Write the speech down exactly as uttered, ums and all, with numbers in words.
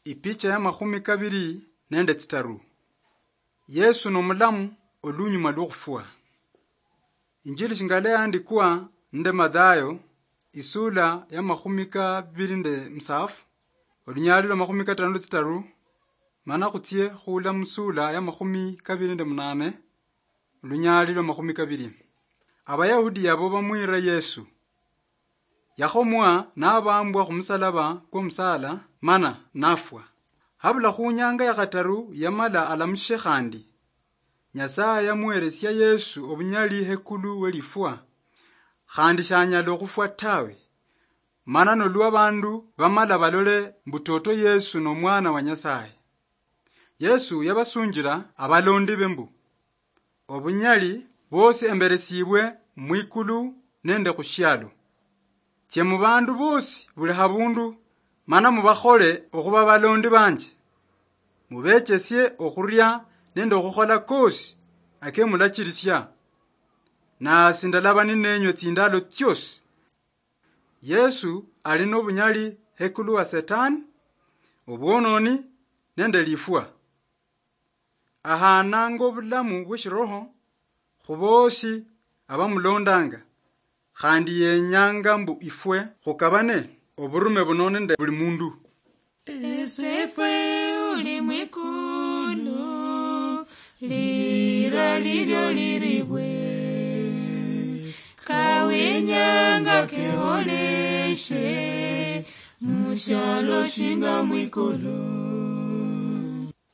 Ipicha ya makhumi kabiri nende tsitaru. Yesu nomulamu olunyuma lwokhufwa. Injili shingala yaandikwa nende Mathayo, isula ya makhumi kabiri nende musafu, olunyali lwa makhumi katano nende tsitaru, mana khutsie khula musula ya makhumi kabiri nende munane, olunyali lwa makhumi kabiri. Abayahudi yabo bamwira Yesu. Yakhomwa nabambwa khumusalaba kwomusala, mana nafwa. Habula khunyanga ya khataru yamala alamushe khandi. Nyasaye yamuheresia Yesu obunyali hekulu welifwa, khandi shanyala okhufwa tawe. Mana nolwa abandu bamala balole mbu toto Yesu nomwana wa Nyasaye. Yesu yabasunjira abalondi be mbu, obunyali bwosi emberesibwe mwikulu nende khushialo. Tsie mubandu bosi buli habundu, mana mubakhole okhuba balondi banje. Mubechesie okhuria nende okhukhola kosi akemulachirisia. Nasi ndalaba ninenywe tsindalo tsiosi. Yesu ali nobunyali hekulu wa Setani, obwononi nende lifwa. Ahananga obulamu bweshiroho khubosi abamulondanga, khandi yenyanga mbu ifwe khukabane oburume buno nende buli mundu. Esefwe uli mwikulu, lira lilio liribwe, kawenyanga keholeshe, mushialo shinga mwikulu.